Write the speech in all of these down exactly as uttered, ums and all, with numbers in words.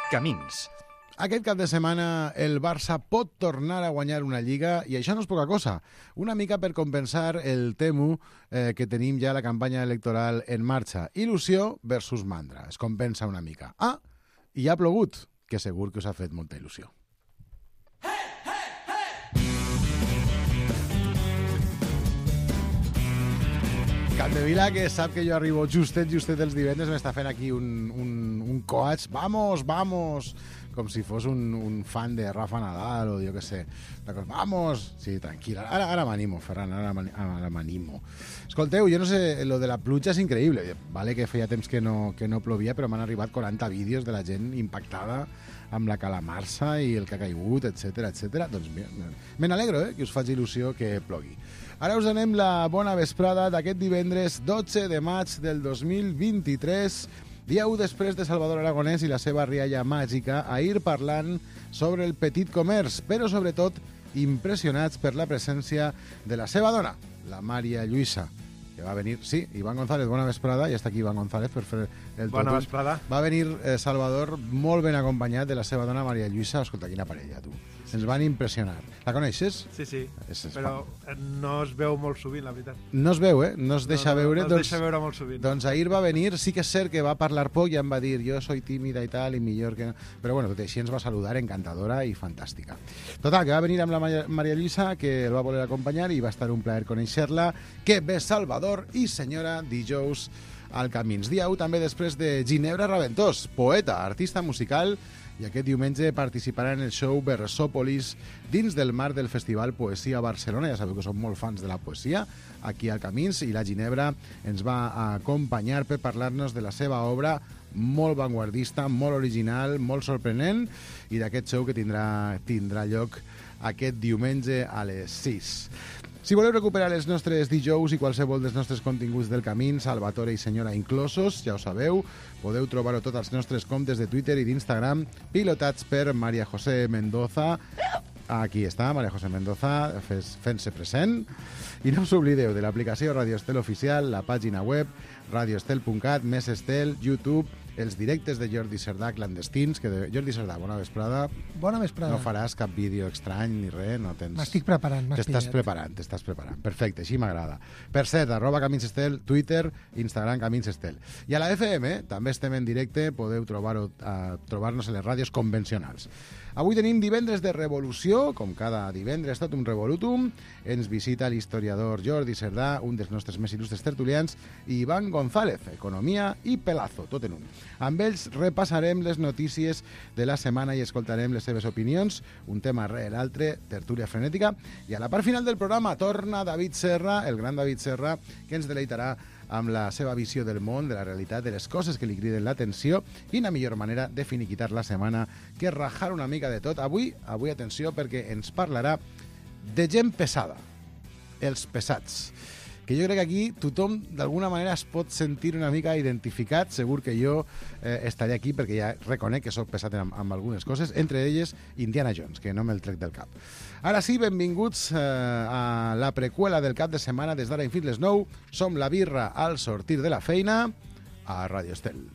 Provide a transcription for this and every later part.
Camins. Aquest cap de setmana el Barça pot tornar a guanyar una Lliga i això no és poca cosa. Una mica per compensar el temu eh, que tenim ja la campanya electoral en marxa. Il·lusió versus mandra. Es compensa una mica. Ah, i ha plogut, que segur que us ha fet molta il·lusió. Capdevila, que sap que jo arribo justet, justet els divendres, m'està fent aquí un, un, un coach. Vamos, vamos! Com si fos un, un fan de Rafa Nadal o jo què sé. Vamos! Sí, tranquil. Ara, ara m'animo, Ferran, ara, ara m'animo. Escolteu, jo no sé, lo de la pluja és increïble. Vale que feia temps que no, que no plovia, però m'han arribat quaranta vídeos de la gent impactada amb la calamarsa i el que ha caigut, etcètera, etcètera. Doncs me n'alegro, eh, que us faci il·lusió que plogui. Ara us donem la bona vesprada d'aquest divendres dotze de maig del dos mil vint-i-tres, dia u després de Salvador Aragonès i la seva rialla màgica, ahir parlant sobre el petit comerç, però sobretot impressionats per la presència de la seva dona, la Maria Lluïsa, que va venir, sí, Iván González, bona vesprada, ja està aquí Iván González per fer el bona totum. vesprada. Va venir eh, Salvador molt ben acompanyat de la seva dona Maria Lluïsa. Escolta, quina parella, tu. Sí, ens van impressionar. La coneixes? Sí, sí, és, és però fan. No es veu molt sovint, la veritat. No es veu, eh? No es deixa no, no, veure. No es doncs, deixa veure molt sovint. Doncs ahir va venir, sí que és cert que va parlar poc i em va dir jo soy tímida i tal, i millor que no. Però bueno, tot així ens va saludar, encantadora i fantàstica. Total, que va venir amb la Maria Lluïsa, que el va voler acompanyar i va estar un plaer conèixer-la. Que bé Salvador i senyora dijous al Camins. Dia u també després de Ginebra Raventós, poeta, artista musical, i aquest diumenge participarà en el show Versòpolis dins del marc del Festival Poesia Barcelona. Ja sabeu que som molt fans de la poesia aquí al Camins, i la Ginebra ens va acompanyar per parlar-nos de la seva obra molt vanguardista, molt original, molt sorprenent, i d'aquest show que tindrà, tindrà lloc aquest diumenge a les sis. Si voleu recuperar els nostres dijous i qualsevol dels nostres continguts del Camí, Salvatore i senyora inclosos, ja ho sabeu, podeu trobar-ho tots als nostres comptes de Twitter i d'Instagram, pilotats per María José Mendoza. Aquí està, María José Mendoza, fent-se present. I no us oblideu de l'aplicació Radio Estel Oficial, la pàgina web, radioestel punt cat, Més Estel, YouTube, els directes de Jordi Cerdà clandestins, que de... Jordi Cerdà, bona vesprada. Bona vesprada. No faràs cap vídeo estrany ni res, no tens... M'estic preparant, m'has pillat. T'estàs preparant, t'estàs preparant. Perfecte, així m'agrada. Per cert, arroba Camins Estel, Twitter, Instagram, Camins Estel. I a la F M també estem en directe, podeu trobar-ho, uh, trobar-nos en les ràdios convencionals. Avui tenim divendres de revolució, com cada divendres, tot un revolutum. Ens visita l'historiador Jordi Cerdà, un dels nostres més il·lustres tertulians, i Iván González, economia i pelazo, tot en un. Amb ells repassarem les notícies de la setmana i escoltarem les seves opinions, un tema rere l'altre, tertúlia frenètica, i a la part final del programa torna David Serra, el gran David Serra, que ens deleitarà amb la seva visió del món, de la realitat, de les coses que li criden l'atenció. Quina millor manera de finiquitar la setmana que rajar una mica de tot. Avui, avui atenció, perquè ens parlarà de gent pesada, els pesats, que jo crec que aquí tothom d'alguna manera es pot sentir una mica identificat. Segur que jo eh, estaré aquí perquè ja reconec que soc pesat amb, amb algunes coses, entre elles Indiana Jones, que no me'l trec del cap. Ara sí, benvinguts eh, a la preqüela del cap de setmana des d'ara fins les nou. Som la birra al sortir de la feina a Radio Estel.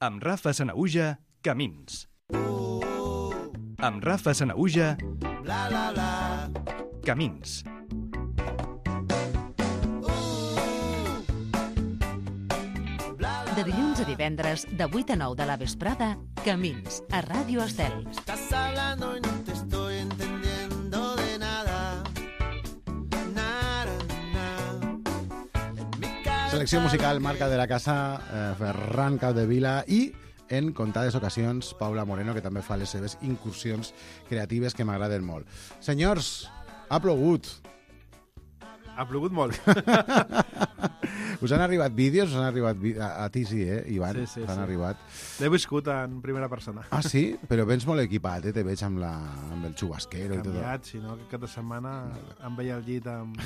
Amb Rafa Sanaüja, Camins. Amb Rafa Sanaüja, bla, bla, bla. Camins. De dilluns a divendres, de vuit a nou de la vesprada, Camins, a Ràdio Estel. Estás hablando y no te estoy entendiendo de nada. Nada, nada. Selecció musical, marca de la casa, eh, Ferran Capdevila, i en comptades ocasions Paula Moreno, que també fa les seves incursions creatives que m'agraden molt. Senyors, ha plogut. Ha plogut molt. Us han arribat vídeos? Us han arribat vi... a, a ti sí, eh, Ivan? Sí, sí, T'han sí. arribat. L'he viscut en primera persona. Ah, sí? Però vens molt equipat, eh? Te veig amb, la... amb el xubasquero i tot. Canviat, si no, que cada setmana em veia al llit amb...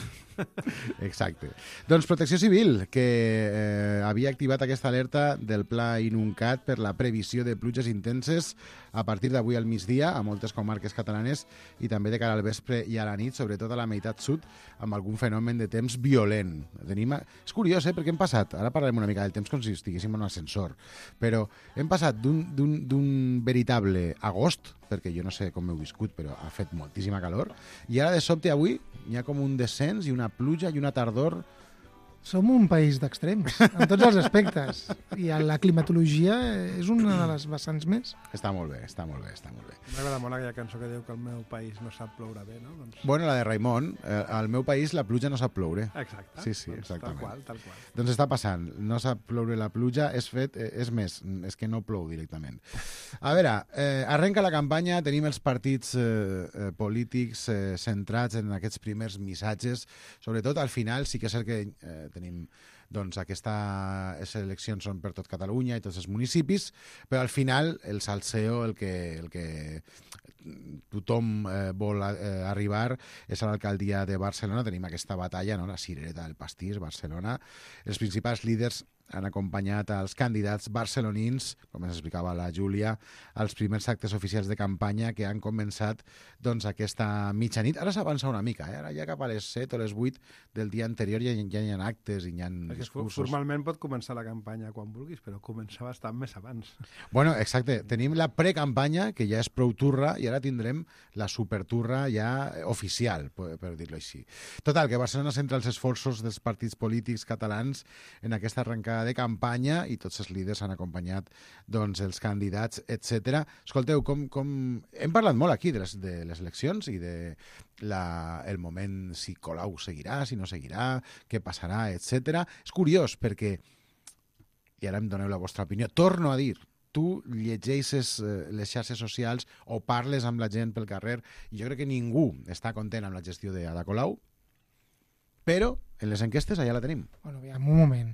Exacte. Doncs Protecció Civil, que eh, havia activat aquesta alerta del Pla Inuncat per la previsió de pluges intenses a partir d'avui al migdia a moltes comarques catalanes i també de cara al vespre i a la nit, sobretot a la meitat sud, amb algun fenomen de temps violent. Tenim... És curiós, curiós, eh? Perquè hem passat, ara parlarem una mica del temps com si estiguéssim en un ascensor, però hem passat d'un veritable agost, perquè jo no sé com heu viscut, però ha fet moltíssima calor, i ara de sobte avui hi ha com un descens i una pluja i una tardor. Som un país d'extrems, en tots els aspectes. I la climatologia és una de les vessants més. Està molt bé, està molt bé, està molt bé. M'agrada molt aquella cançó que diu que el meu país no sap ploure bé, no? Doncs... Bueno, la de Raimon, eh, al meu país la pluja no sap ploure. Exacte. Sí, sí, doncs exactament. Tal qual, tal qual. Doncs està passant, no sap ploure la pluja, és fet, eh, és més, és que no plou directament. A veure, eh, arrenca la campanya, tenim els partits eh, eh, polítics eh, centrats en aquests primers missatges, sobretot al final sí que és cert que eh, tenim doncs aquestes eleccions són per tot Catalunya i tots els municipis, però al final el salseo, el que, el que tothom eh, vol eh, arribar és a l'alcaldia de Barcelona. Tenim aquesta batalla, no? La cirereta del pastís, Barcelona. Els principals líders han acompanyat als candidats barcelonins, com ens explicava la Júlia, als primers actes oficials de campanya que han començat doncs, aquesta mitjanit. Ara s'avança una mica, eh? Ara ja cap a les set o les vuit del dia anterior ja, ja hi ha actes i hi ha Perquè discursos. formalment pot començar la campanya quan vulguis, però comença bastant més abans. Bueno, exacte. Tenim la precampanya, que ja és prou turra, i ara tindrem la superturra ja oficial, per, per dir-ho així. Total, que Barcelona centra els esforços dels partits polítics catalans en aquesta arrencada de campanya i tots els líders han acompanyat doncs, els candidats, etcètera. Escolteu, com, com... hem parlat molt aquí de les, de les eleccions i de la, el moment si Colau seguirà, si no seguirà, què passarà, etcètera. És curiós perquè, i ara em doneu la vostra opinió, torno a dir, tu llegeixes eh, les xarxes socials o parles amb la gent pel carrer i jo crec que ningú està content amb la gestió d'Ada Colau, però en les enquestes allà la tenim. Bueno, aviam, un moment.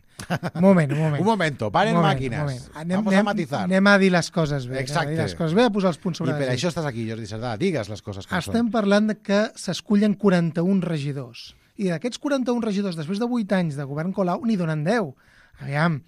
Un moment, un moment. Un momento, paren un moment, màquines. un moment. Anem, Vamos anem, a matizar. Anem a dir les coses bé. Exacte. Anem a dir les coses bé, a posar els punts sobre I per les això is. estàs aquí, Jordi Cerdà. Digues les coses com Estem són. parlant de que s'escullen quaranta-un regidors. I d'aquests quaranta-un regidors, després de vuit anys de govern Colau, n'hi donen deu. Aviam.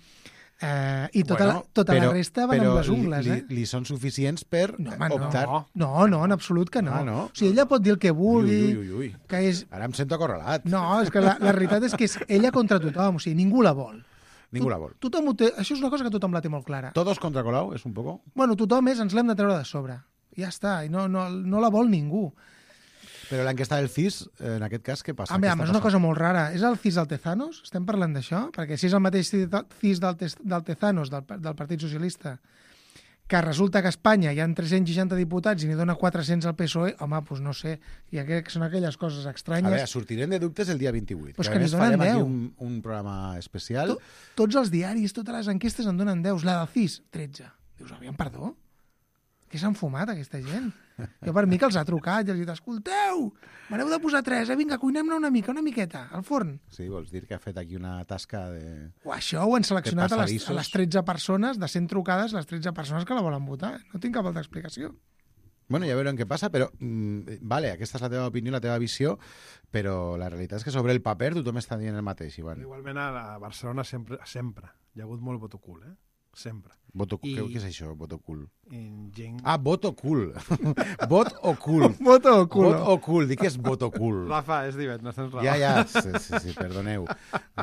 Eh, I tota, Bueno, la, tota però- la resta van però amb les ungles, li, eh? li, li són suficients per No, home, no. optar... No, no, en absolut que no. Ah, no? O sigui, ella pot dir el que Ui, vulgui, ui, ui, ui. que és... Ara em sento acorralat. No, és que la, la realitat és que és ella contra tothom, o sigui, ningú la vol. Ningú la vol. Tothom ho té, això és una cosa que tothom la té molt clara. Todos contra Colau, és un poco... Bueno, tothom és, ens l'hem de treure de sobre. Ja està, i no, no, no la vol ningú. Però l'enquesta del C I S, en aquest cas, què passa? Ah, Què bé, està és una passant? cosa molt rara. És el C I S Altezanos? Estem parlant d'això? Perquè si és el mateix C I S d'Altezanos, del, del Partit Socialista, que resulta que a Espanya hi ha tres-cents seixanta diputats i n'hi dona quatre-cents al P S O E, home, doncs no sé. I aqu són aquelles coses A estranyes. veure, sortirem de dubtes el dia vint-i-vuit. Pues que que a n'hi més donen farem aquí deu. un, un programa especial. To, tots els diaris, totes les enquestes en donen deu. La del C I S, tretze. Dius, aviam, perdó? Què s'han fumat, aquesta gent? Jo per mi que els ha trucat i els ha dit, escolteu, me n'heu de posar tres, eh? Vinga, cuinem-ne una mica, una miqueta, al forn. Sí, vols dir que ha fet aquí una tasca de... O això ho han seleccionat a les, passadissos. a les tretze persones, de cent trucades, les tretze persones que la volen votar. No tinc cap altra explicació. Bueno, ja veurem què passa, però mm, vale, aquesta és la teva opinió, la teva visió, però la realitat és que sobre el paper tothom està dient el mateix, Ivan. Igualment a la Barcelona sempre, sempre hi ha hagut molt voto cul, eh? Sempre. Voto, I- què, què és això, voto cool? I gent... Ah, voto cool. Vot o cool. Voto o culo. Vot o cool. Dic que és voto cool. Rafa, és divendres, tens raó. Ja, ja, sí, sí, sí, perdoneu.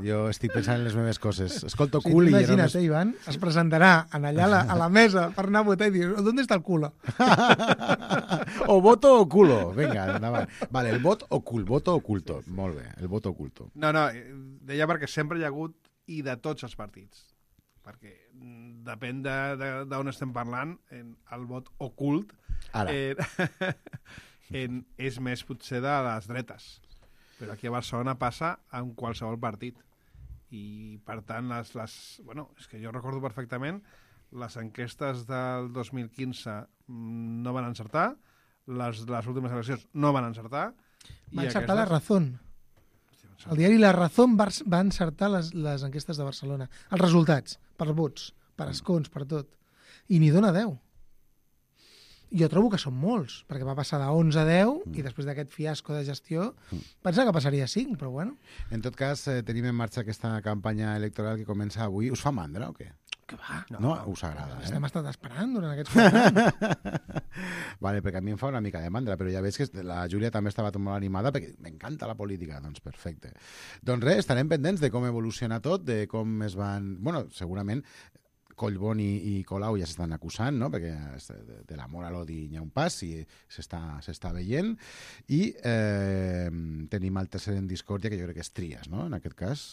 Jo estic pensant en les meves coses. Escolto O sigui, cool tu i ja imagina't, només... eh, Ivan, es presentarà en allà a la, a la mesa per anar a votar i dir, ¿dónde está el culo? o voto o culo. Vinga, endavant. Vale, el vot o cul, voto oculto. Molt bé, el voto oculto. No, no, eh, deia perquè sempre hi ha hagut i de tots els partits. Perquè mm, depèn d'on de, de, estem parlant, en el vot ocult Ara. eh, en, és més potser de les dretes. Però aquí a Barcelona passa en qualsevol partit. I, per tant, les, les, bueno, és que jo recordo perfectament les enquestes del dos mil quinze mm, no van encertar, les, les últimes eleccions no van encertar. Va i encertar la aquestes- Razón. El diari La Razón va, va encertar les, les enquestes de Barcelona. Els resultats, per vots, per escons, per tot. I n'hi dona deu. Jo trobo que són molts, perquè va passar de onze a deu mm. i després d'aquest fiasco de gestió pensava que passaria a cinc, però bueno. En tot cas, eh, tenim en marxa aquesta campanya electoral que comença avui. Us fa mandra o què? Que va? No, no us agrada, eh? Estem estat esperant durant aquests quatre anys. Vale, perquè a mi em fa una mica de mandra, però ja veig que la Júlia també estava molt animada perquè m'encanta la política, doncs perfecte. Doncs res, estarem pendents de com evoluciona tot, de com es van... Bueno, segurament Collboni i Colau ja s'estan acusant, no? Perquè de, de l'amor a l'odi hi ha un pas i s'està veient. I eh, tenim el tercer en discòrdia, que jo crec que és Trias, no? En aquest cas.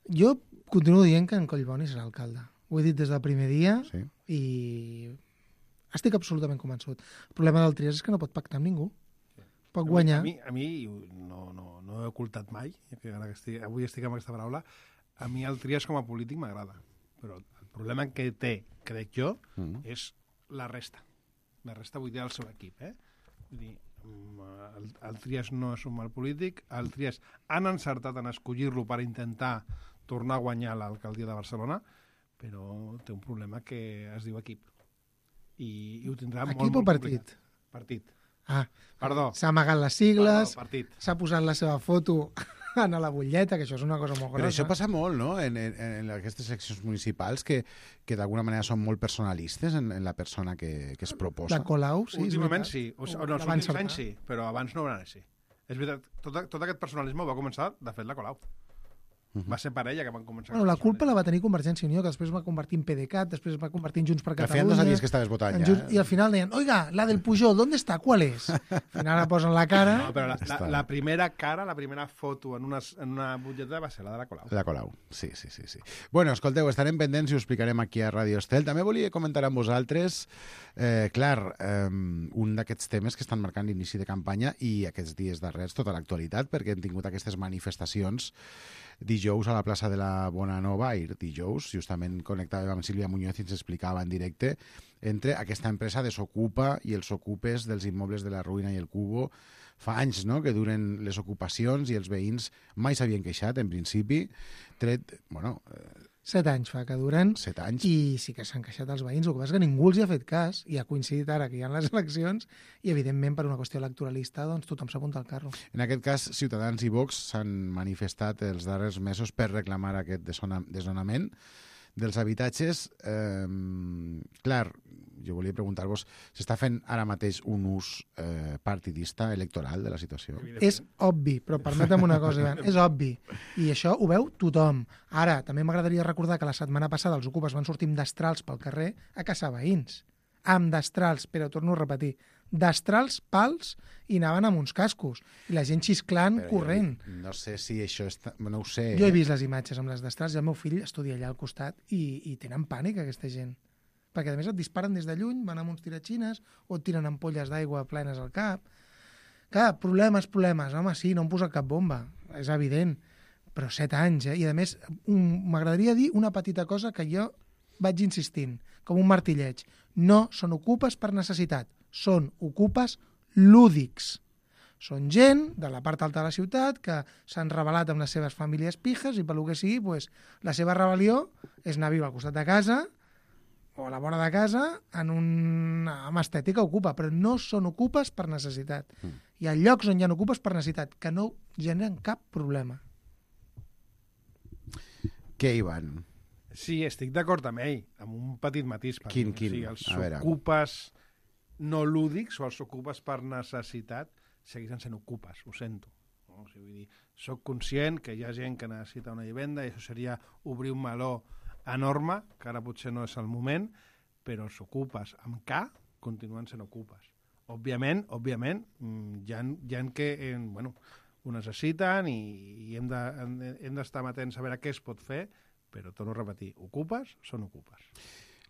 Jo continuo dient que en Collboni serà alcalde. Ho he dit des del primer dia Sí. i estic absolutament convençut. El problema del Trias és que no pot pactar amb ningú. Pot guanyar. A mi, a mi no, no, no he ocultat mai, que ara que estic, avui estic amb aquesta paraula, a mi el Trias com a polític m'agrada. Però el problema que té, crec jo, Mm. és la resta. La resta vull dir el seu equip, eh? Vull dir, el, el Trias no és un mal polític, el Trias han encertat en escollir-lo per intentar tornar a guanyar l'alcaldia de Barcelona, però té un problema que es diu equip. I, i ho tindrà Equip molt, o molt partit? complicat. Partit. Ah, Perdó. s'ha amagat les sigles, Perdó, partit. s'ha posat la seva foto en la butlleta, que això és una cosa molt Però grossa. això passa molt, no?, en, en, en aquestes seccions municipals que, que d'alguna manera són molt personalistes en, en la persona que, que es proposa. La Colau, sí, és Últimament veritat. sí, o, o no, els La van últims encertar. anys sí, però abans no ho van així. És veritat, tot, tot aquest personalisme va començar, de fet, la Colau. Mhm. Va ser per ella que van començar. Bueno, la culpa la va tenir Convergència i Unió, que després es va convertir en PDeCAT, després es va convertir en Junts per Que al Catalunya. final no sabies que estaves votant en ja. Junts, I al final deien, oiga, la del Pujol, ¿dónde está? ¿Cuál es? Al final la posen la cara. No, però la, la, Està. la primera cara, la primera foto en una, en una butlleta va ser la de la Colau. La Colau, sí, sí, sí, sí. Bueno, escolteu, estarem pendents i ho explicarem aquí a Ràdio Estel. També volia comentar amb vosaltres, eh, clar, eh, un d'aquests temes que estan marcant l'inici de campanya i aquests dies darrers tota l'actualitat, perquè hem tingut aquestes manifestacions dijous a la plaça de la Bonanova, ahir dijous, justament connectàvem amb Sílvia Muñoz i ens explicava en directe entre aquesta empresa Desocupa i els ocupes dels immobles de la Ruïna i el Cubo. Fa anys, no?, que duren les ocupacions i els veïns mai s'havien queixat, en principi, tret, bueno, eh, Set anys fa que duren set anys. i sí que s'han queixat els veïns. El que passa és que ningú els hi ha fet cas i ha coincidit ara que hi ha les eleccions i, evidentment, per una qüestió electoralista, doncs tothom s'apunta al carro. En aquest cas, Ciutadans i Vox s'han manifestat els darrers mesos per reclamar aquest desona- desnonament dels habitatges. Eh, clar, jo volia preguntar-vos, s'està fent ara mateix un ús eh, partidista electoral de la situació? És obvi, però permetem una cosa, Ivan, és obvi. I això ho veu tothom. Ara, també m'agradaria recordar que la setmana passada els ocupes van sortir amb destrals pel carrer a caçar veïns. Amb destrals, però torno a repetir, destrals, pals, i anaven amb uns cascos. I la gent xisclant, Però corrent. Jo, no sé si això està... No ho sé. Jo he vist les imatges amb les destrals i el meu fill estudia allà al costat i, i tenen pànic, aquesta gent. Perquè, a més, et disparen des de lluny, van amb uns tiratxines o et tiren ampolles d'aigua plenes al cap. Clar, problemes, problemes. Home, sí, no em posa cap bomba, és evident. Però set anys, eh? I, a més, un- m'agradaria dir una petita cosa que jo vaig insistint, com un martilleig. No són ocupes per necessitat, són ocupes lúdics. Són gent de la part alta de la ciutat que s'han rebel·lat amb les seves famílies pijes i, pel que sigui, pues, la seva rebel·lió és anar a viure al costat de casa o a la vora de casa en un... amb estètica ocupa, però no són ocupes per necessitat. Mm. Hi ha llocs on hi ha ocupes per necessitat que no generen cap problema. Què, Ivan? Sí, estic d'acord amb ell, amb un petit matís. per Quin, mi. quin? O sigui, els A veure. ocupes no lúdics o els ocupes per necessitat segueixen sent ocupes, ho sento. No? O sigui, vull dir, soc conscient que hi ha gent que necessita una vivenda i això seria obrir un meló enorme, que ara potser no és el moment, però els ocupes amb K continuen sent ocupes. Òbviament, òbviament, mm, hi ha, hi ha que eh, bueno, ho necessiten i, i hem de- hem de- hem d'estar atents a veure què es pot fer, però torno a repetir, ocupes són ocupes.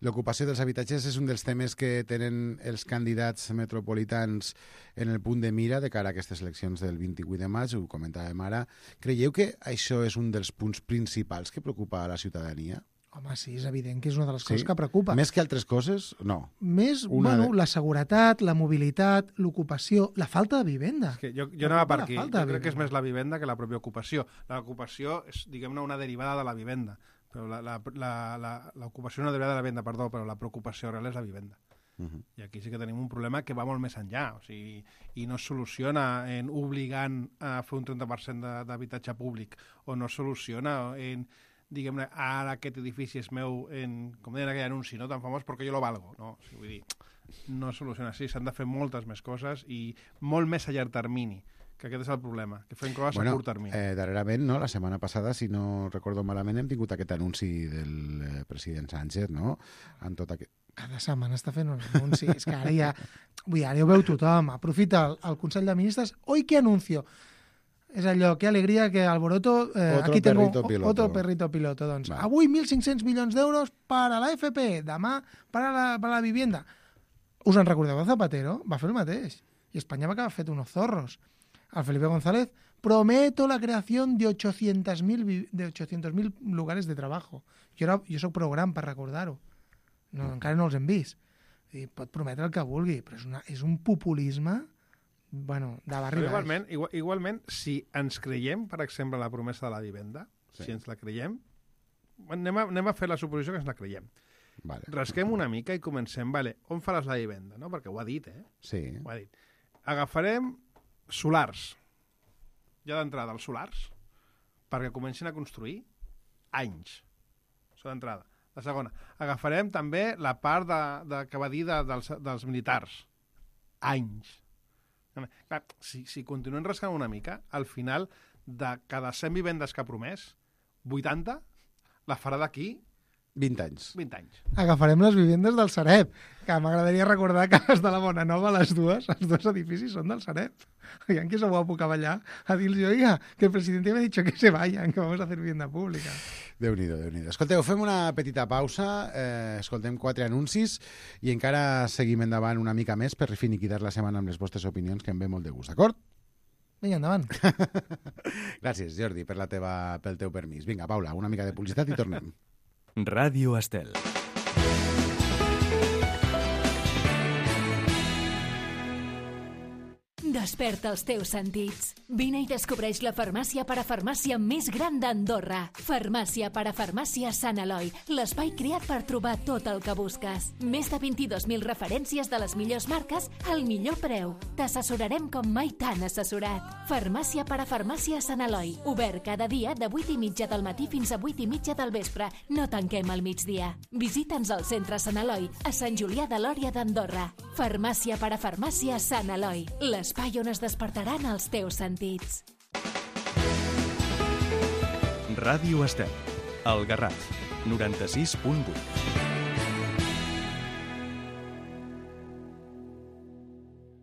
L'ocupació dels habitatges és un dels temes que tenen els candidats metropolitans en el punt de mira de cara a aquestes eleccions del vint-i-vuit de maig, ho comentàvem ara. Creieu que això és un dels punts principals que preocupa a la ciutadania? Home, sí, és evident que és una de les Sí? coses que preocupa. Més que altres coses? No. Més, Una bueno, de- la seguretat, la mobilitat, l'ocupació, la falta de vivenda. És que jo, jo anava per La aquí. falta Jo de crec que és vivenda. més la vivenda que la pròpia ocupació. L'ocupació és, diguem-ne, una derivada de la vivenda. Però la, la, la, la, l'ocupació és una derivada de la vivenda, perdó, però la preocupació real és la vivenda. Uh -huh. I aquí sí que tenim un problema que va molt més enllà. O sigui, i no es soluciona en obligant a fer un trenta per cent de- d'habitatge públic, o no es soluciona en diguem-ne, ara aquest edifici és meu, en, com deien aquell anunci, no tan famós, perquè jo lo valgo. No, o sigui, vull dir, no es soluciona així, s'han de fer moltes més coses i molt més a llarg termini, que aquest és el problema, que fem coses bueno, a curt termini. Eh, darrerament, no? La setmana passada, si no recordo malament, hem tingut aquest anunci del eh, president Sánchez, no? En tot aquest... Cada setmana està fent un anunci. És que ara ja... Vull dir, ara ho veu tothom. Aprofita el, el Consell de Ministres. Oi, què anuncio? És allò, que alegria, que alboroto... Eh, Otro aquí tengo perrito piloto. Otro perrito piloto. Doncs, Va. avui mil cinc-cents milions d'euros per a la F P, demà per a la, per a la vivienda. Us en recordeu de Zapatero? Va fer el mateix. I Espanya va acabar fet unos zorros. Al Felipe González, prometo la creación de ochocientos mil de ochocientos mil lugares de trabajo. Jo, era, jo soc prou gran per recordar-ho. No, encara no els hem vist. I pot prometre el que vulgui, però és, una, és un populisme, bueno, de barri Però baix. igualment, igual, igualment, si ens creiem, per exemple, la promesa de la vivenda, Sí. si ens la creiem, anem a, anem a fer la suposició que ens la creiem. Vale. Rasquem una mica i comencem, vale, on faràs la vivenda? No? Perquè ho ha dit, eh? Sí. Ho ha dit. Agafarem solars. Ja d'entrada, els solars, perquè comencin a construir anys. Això d'entrada. La segona, agafarem també la part de, de, que va dir de, dels, dels militars. Anys. Clar, si, si continuem rascant una mica, al final, de cada cent vivendes que ha promès, vuitanta la farà d'aquí vint anys. vint anys. Agafarem les vivendes del Sareb, que m'agradaria recordar que les de la Bona Nova, les dues, els dos edificis són del Sareb. Oigan, que se guapo que allà a dir-los, oiga, que el presidente me ha dicho que se vayan, que vamos a hacer vivienda pública. Déu-n'hi-do, Déu-n'hi-do. Escolteu, fem una petita pausa, eh, escoltem quatre anuncis i encara seguim endavant una mica més per finiquitar la setmana amb les vostres opinions, que em ve molt de gust, d'acord? Vinga, endavant. Gràcies, Jordi, per la teva, pel teu permís. Vinga, Paula, una mica de publicitat i tornem. Ràdio Estel. Desperta els teus sentits. Vine i descobreix la farmàcia parafarmàcia més gran d'Andorra. Farmàcia parafarmàcia Sant Eloi, l'espai creat per trobar tot el que busques. Més de vint-i-dos mil referències de les millors marques al millor preu. T'assessorarem com mai t'han assessorat. Farmàcia parafarmàcia Sant Eloi, obert cada dia de vuit i mitja del matí fins a vuit i mitja del vespre. No tanquem al migdia. Visita'ns al centre Sant Eloi, a Sant Julià de Lòria d'Andorra. Farmàcia parafarmàcia Sant Eloi, l'espai on es despertaran els teus sentits. Ràdio Estel. El Garraf. noranta-sis punt vuit.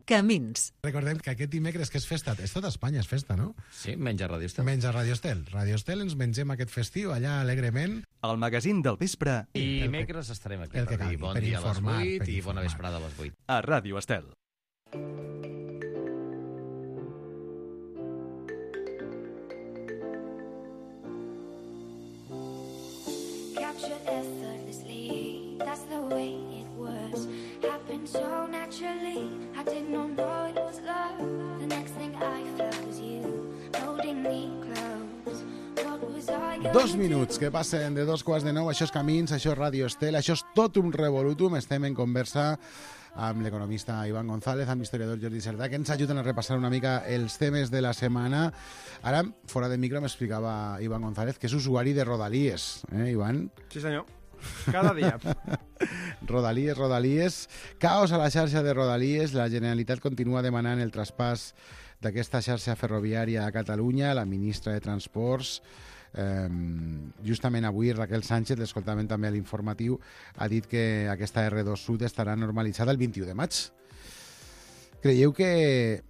Camins. Recordem que aquest dimecres, que és festa, és tot Espanya, és festa, no? Sí, menys a Radio Estel. Menys a Radio Estel. Radio Estel ens mengem aquest festiu allà alegrement. El magazín del vespre I dimecres estarem aquí el que per dir calgui, bon per dia a les informar, vuit per i bona informar. vesprada a les vuit. a Ràdio Estel. Captured effortlessly, that's the way it was. Happened so naturally, I did not know it was love. The next thing I felt was you, holding me close. What was I gonna Dos do? minuts que passen de dos quarts de nou. Això és Camins, això és Ràdio Estel, això és tot un revolutum. Estem en conversa amb l'economista Iván González, amb l'historiador Jordi Cerdà, que ens ajuden a repassar una mica els temes de la setmana. Ara, fora de micro, m'explicava Iván González que és usuari de Rodalies. Eh, Iván? Sí, senyor. Cada dia. Rodalies, Rodalies. Caos a la xarxa de Rodalies. La Generalitat continua demanant el traspàs d'aquesta xarxa ferroviària a Catalunya. La ministra de Transports, eh, justament avui, Raquel Sánchez, l'escoltament també a l'informatiu, ha dit que aquesta erre dos Sud estarà normalitzada el vint-i-u de maig. Creieu que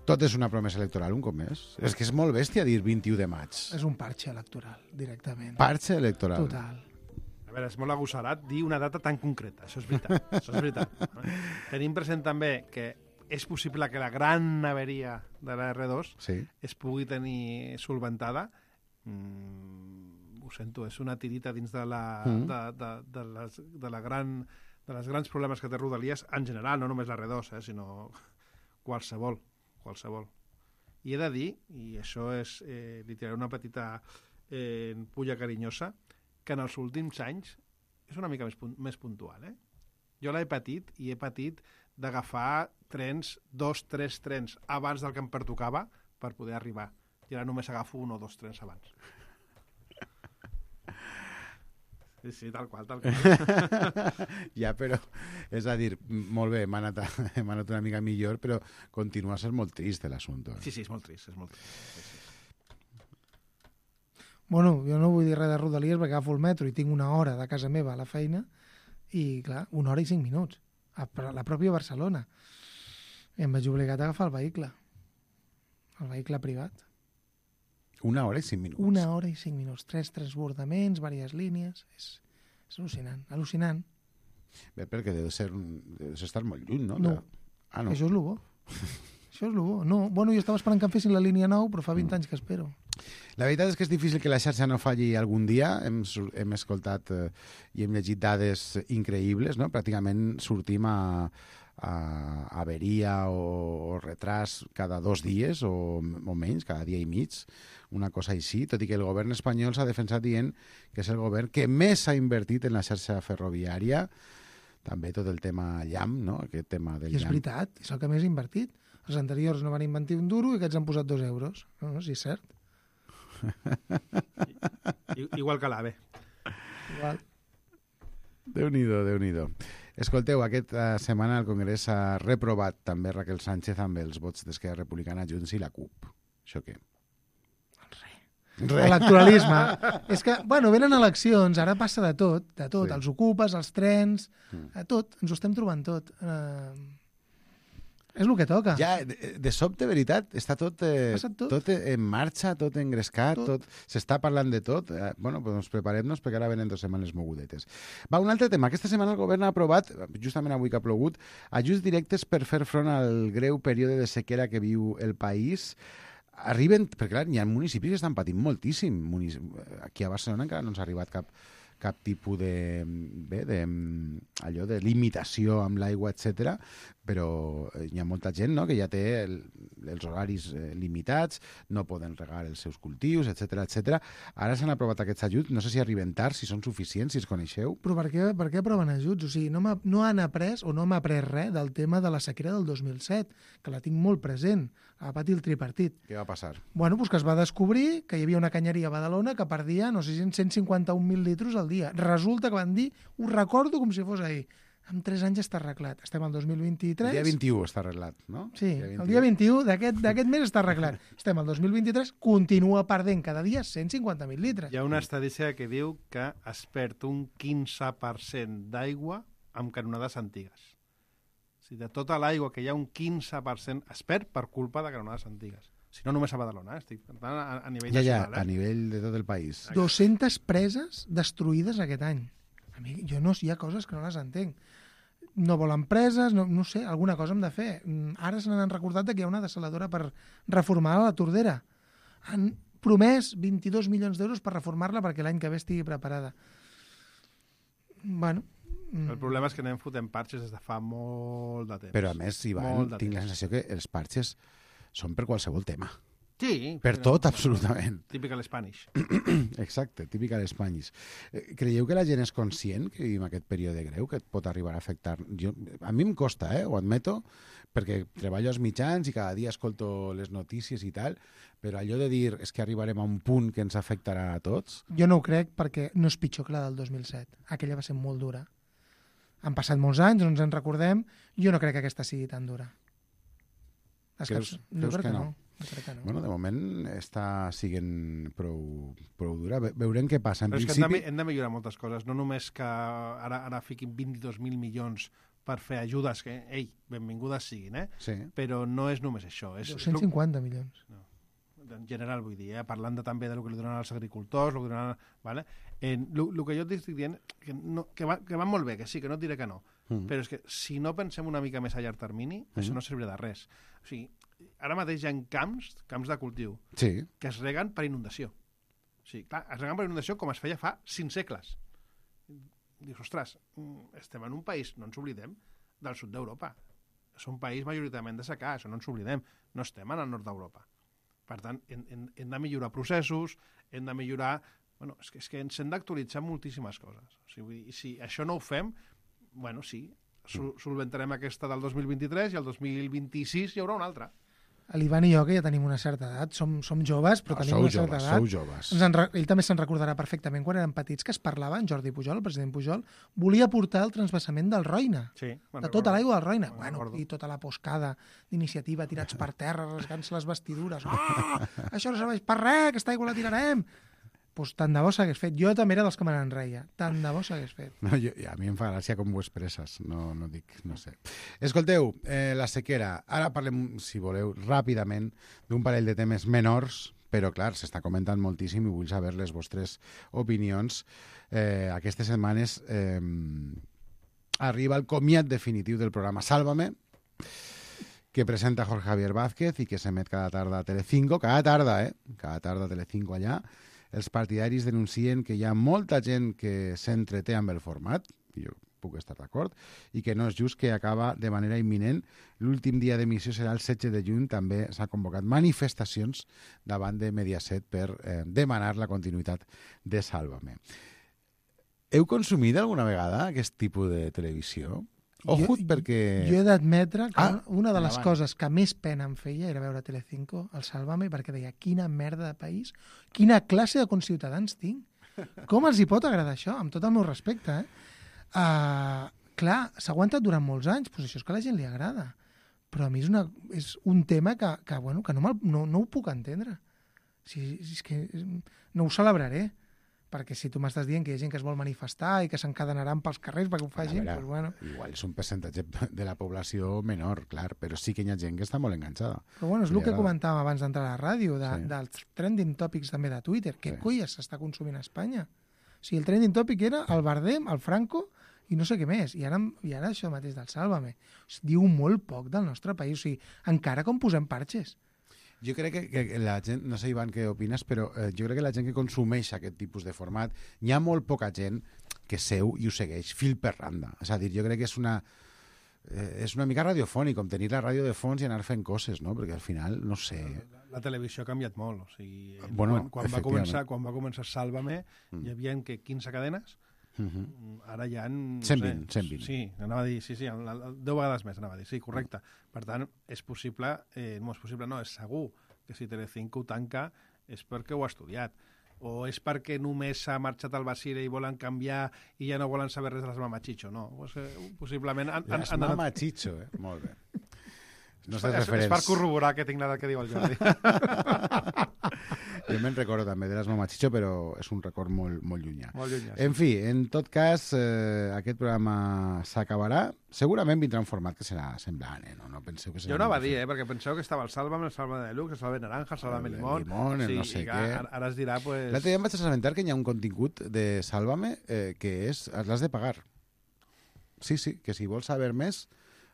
tot és una promesa electoral, un cop més? És que és molt bèstia dir vint-i-u de maig. És un parche electoral, directament. Parche electoral. Total. A veure, és molt agossarat dir una data tan concreta. Això és veritat. Això és veritat. Tenim present també que és possible que la gran averia de la erre dos Sí. es pugui tenir solventada. Mm, ho sento, és una tirita dins de la, Mm. de, de, de, les, de, la gran, de les grans problemes que té Rodalies en general, no només la erre dos, eh, sinó qualsevol, qualsevol. I he de dir, i això és, eh, li tiraré una petita eh, pulla carinyosa, que en els últims anys és una mica més, punt, més puntual. Eh? Jo l'he patit i he patit d'agafar trens, dos, tres trens abans del que em pertocava per poder arribar. I ara només agafo un o dos trens abans. Sí, sí, tal qual, tal qual. Ja, però, és a dir, molt bé, m'ha anat, m'ha anat una mica millor, però continua a ser molt trist l'assumpte. Sí, sí, és molt trist, és molt trist. Sí, sí. Bueno, jo no vull dir res de Rodalies perquè agafo el metro i tinc una hora de casa meva a la feina i, clar, una hora i cinc minuts a la pròpia Barcelona. I em vaig obligat a agafar el vehicle. El vehicle privat. Una hora i cinc minuts. Una hora i cinc minuts. Tres transbordaments, diverses línies. És, és al·lucinant. Al·lucinant. Bé, perquè deu ser, deu ser estar molt lluny, no? No. Ah, no. Això és el bo. Això és el bo. No, bueno, jo estava esperant que em fessin la línia nou, però fa vint mm. anys que espero. La veritat és que és difícil que la xarxa no falli algun dia. Hem, hem escoltat eh, i hem llegit dades increïbles, no? Pràcticament sortim a, a averia o, o retras cada dos dies o, o menys, cada dia i mig, una cosa així, tot i que el govern espanyol s'ha defensat dient que és el govern que més s'ha invertit en la xarxa ferroviària, també tot el tema llamp, no? Aquest tema del I és llamp. veritat, és el que més ha invertit. Els anteriors no van invertir un duro i aquests han posat dos euros. No, no, sí, és cert. I, igual que l'AVE. Igual. Déu-n'hi-do, Déu-n'hi-do. Escolteu, aquesta setmana el Congrés ha reprovat també Raquel Sánchez amb els vots d'Esquerra Republicana, Junts i la CUP. Això què? Electoralisme. És que, bueno, venen eleccions, ara passa de tot, de tot, Sí. els ocupes, els trens, Mm. a tot, ens ho estem trobant tot. Uh, és el que toca. Ja, de, de sobte, veritat, està tot, eh, Passa tot. tot en marxa, tot engrescat, tot. tot s'està parlant de tot. Eh, bueno, doncs preparem-nos perquè ara venen dues setmanes mogudetes. Va, un altre tema. Aquesta setmana el govern ha aprovat, justament avui que ha plogut, ajuts directes per fer front al greu període de sequera que viu el país. Arriben, perquè clar, hi ha municipis que estan patint moltíssim. Munici... Aquí a Barcelona encara no ens ha arribat cap, cap tipus de, bé, de, allò de limitació amb l'aigua, etcètera, però hi ha molta gent, no?, que ja té el, els horaris eh, limitats, no poden regar els seus cultius, etcètera, etcètera. Ara s'han aprovat aquests ajuts, no sé si arriben tard, si són suficients, si els coneixeu. Però per què, per què aproven ajuts? O sigui, no, m'ha- no han après o no m'ha après res del tema de la sequera del dos mil set, que la tinc molt present, a patir el tripartit. Què va passar? Bueno, doncs que es va descobrir que hi havia una canyeria a Badalona que perdia, no sé si cent cinquanta-un mil litres al dia. Resulta que van dir, ho recordo com si fos ahir, en tres anys està arreglat. Estem al dos mil vint-i-tres. El dia vint-i-u està arreglat, no? Sí, el dia vint-i-u d'aquest d'aquest mes està arreglat. Estem al dos mil vint-i-tres, continua perdent cada dia cent cinquanta mil litres. Hi ha una estadística que diu que es perd un quinze per cent d'aigua amb canonades antigues. O sigui, de tota l'aigua que hi ha un quinze per cent es perd per culpa de canonades antigues. Si no, només a Badalona, eh? Estic parlant a, a nivell Ja, ja, nacional. a Eh? nivell de tot el país. dues-centes preses destruïdes aquest any. A mi, jo no, hi ha coses que no les entenc. No volen preses, no, no sé, alguna cosa hem de fer. Mm, Ara se n'han recordat que hi ha una desaladora per reformar la Tordera. Han promès vint-i-dos milions d'euros per reformar-la perquè l'any que ve estigui preparada. Bueno... El problema és que anem fotent parxes des de fa molt de temps. Però a més, Ivan, Molt de tinc la temps. sensació que els parxes són per qualsevol tema. Sí. Per però- tot, absolutament. Típica l'Spanish. Exacte, típica d'Espanyis. Eh, Creieu que la gent és conscient que vivim aquest període greu, que et pot arribar a afectar? Jo, a mi em costa, eh, ho admeto, perquè treballo als mitjans i cada dia escolto les notícies i tal, però allò de dir és que arribarem a un punt que ens afectarà a tots... Jo no ho crec perquè no és pitjor que la del dos mil set. Aquella va ser molt dura. Han passat molts anys, no ens en recordem. Jo no crec que aquesta sigui tan dura. És Creus- que, jo creus crec que que no? no. Jo crec que no. Bueno, de moment està siguent prou, prou dura. Ve- Veurem què passa. En Però és que hem de, principi... mi- hem de millorar moltes coses. No només que ara, ara fiquin vint-i-dos mil milions per fer ajudes, que, ei, benvingudes siguin, eh? Sí. Però no és només això. És, és dos-cents cinquanta milions. en general, vull dir, eh? Parlant de, també del que li donen als agricultors, el que donen... Vale? El que jo t'estic dient, que, no, que, va, que van molt bé, que sí, que no et diré que no, Mm. però és que si no pensem una mica més a llarg termini, mm. això no servirà de res. O sigui, ara mateix hi ha camps, camps de cultiu, Sí. que es reguen per inundació. O sigui, clar, es reguen per inundació com es feia fa cinc segles. Dius, ostres, mm, estem en un país, no ens oblidem, del sud d'Europa. És un país majoritàriament de secà, això no ens oblidem. No estem en el nord d'Europa. Per tant, hem, hem, hem de millorar processos, hem de millorar... Bueno, és que, és que ens hem d'actualitzar moltíssimes coses. O sigui, vull dir, si això no ho fem, bueno, sí, sol solventarem aquesta del dos mil vint-i-tres i el dos mil vint-i-sis hi haurà una altra. l'Ivan i jo, que ja tenim una certa edat, som, som joves, però No, tenim sou una certa joves, edat. sou joves. Ens en, re- ell també se'n recordarà perfectament quan eren petits que es parlava, en Jordi Pujol, el president Pujol, volia portar el transvasament del Roine, Sí, me'n de tota recordo. l'aigua del Roine. Me'n Bueno, recordo. i tota la poscada d'iniciativa, tirats per terra, rasgant-se les vestidures. Ah, això no serveix per res, aquesta aigua la tirarem. Pues tant de bo s'hagués fet. Jo també era dels que me n'enreia. Tant de bo s'hagués fet. No, jo, a mi em fa gràcia com ho expresses, no, no dic, no sé. Escolteu, eh, la sequera. Ara parlem, si voleu, ràpidament d'un parell de temes menors, però clar, s'està comentant moltíssim i vull saber les vostres opinions. Eh, aquestes setmanes eh, arriba el comiat definitiu del programa Sálvame, que presenta Jorge Javier Vázquez i que s'emet cada tarda a Telecinco, cada tarda, eh? Cada tarda a Telecinco allà. Els partidaris denuncien que hi ha molta gent que s'entreté amb el format, i jo puc estar d'acord, i que no és just que acaba de manera imminent. L'últim dia d'emissió serà el setze de juny, també s'ha convocat manifestacions davant de Mediaset per eh, demanar la continuïtat de Sálvame. Heu consumit alguna vegada aquest tipus de televisió? Ojut, Jo- perquè... Jo he d'admetre que Ah, una de les endavant. coses que més pena em feia era veure Telecinco, el Sálvame, perquè deia, quina merda de país, quina classe de conciutadans tinc. Com els hi pot agradar això? Amb tot el meu respecte, eh? Uh, clar, s'ha aguantat durant molts anys, doncs això és que a la gent li agrada. Però a mi és, una, és un tema que, que, bueno, que no, me'l- no, no ho puc entendre. Si, si és que no ho celebraré. Perquè si tu m'estàs dient que hi ha gent que es vol manifestar i que s'encadenaran pels carrers perquè ho facin, A veure, doncs bueno. igual és un percentatge de la població menor, clar, però sí que hi ha gent que està molt enganxada. Però bueno, és Li el que agrada. comentàvem abans d'entrar a la ràdio, de, Sí. sí. dels trending topics també de Twitter. Què Sí. sí. colles s'està consumint a Espanya? O sigui, el trending topic era el Bardem, el Franco i no sé què més. I ara, i ara això mateix del Sálvame. O sigui, diu molt poc del nostre país. O sigui, encara com posem parxes. Jo crec que, que la gent, no sé, Ivan, què opines, però eh, jo crec que la gent que consumeix aquest tipus de format, hi ha molt poca gent que seu i ho segueix fil per randa. És a dir, jo crec que és una, eh, és una mica radiofònic, com tenir la ràdio de fons i anar fent coses, no? Perquè al final, no sé... La, la televisió ha canviat molt. O sigui, Bueno, quan, quan, va efectivament. començar, quan va començar Sálvame, Mm. hi havia que quinze cadenes, Uh -huh. ara hi ha... No cent vint, sé, cent vint. Sí, anava a dir, sí, sí, la- la- deu vegades més, anava a dir, sí, correcte. Per tant, és possible, eh, no és possible, no, és segur que si Telecinco ho tanca és perquè ho ha estudiat. O és perquè només s'ha marxat al Basire i volen canviar i ja no volen saber res de les Mamachicho, no. Pues, eh, possiblement... Han, han, És han anat- mama Chicho, eh? Molt bé. No és, sé és, és referents. per corroborar que tinc l'edat que diu el Jordi. Jo me'n recordo també de les Mama Chicho, però és un record molt, molt llunyà. Molt llunyà. Sí. En fi, en tot cas, eh, aquest programa s'acabarà. Segurament vindrà un format que serà semblant, eh? No, no penseu que serà... Jo no va molt dir, diferent. eh, perquè penseu que estava el Sálvame, el Sálvame de Lux, el Sálvame Naranja, el Sálvame El Limón... Limón, el no sé i que què. Ara, ara es dirà, pues... L'altre dia em vaig assabentar que hi ha un contingut de Sálvame eh, que és... l'has de pagar. Sí, sí, que si vols saber més...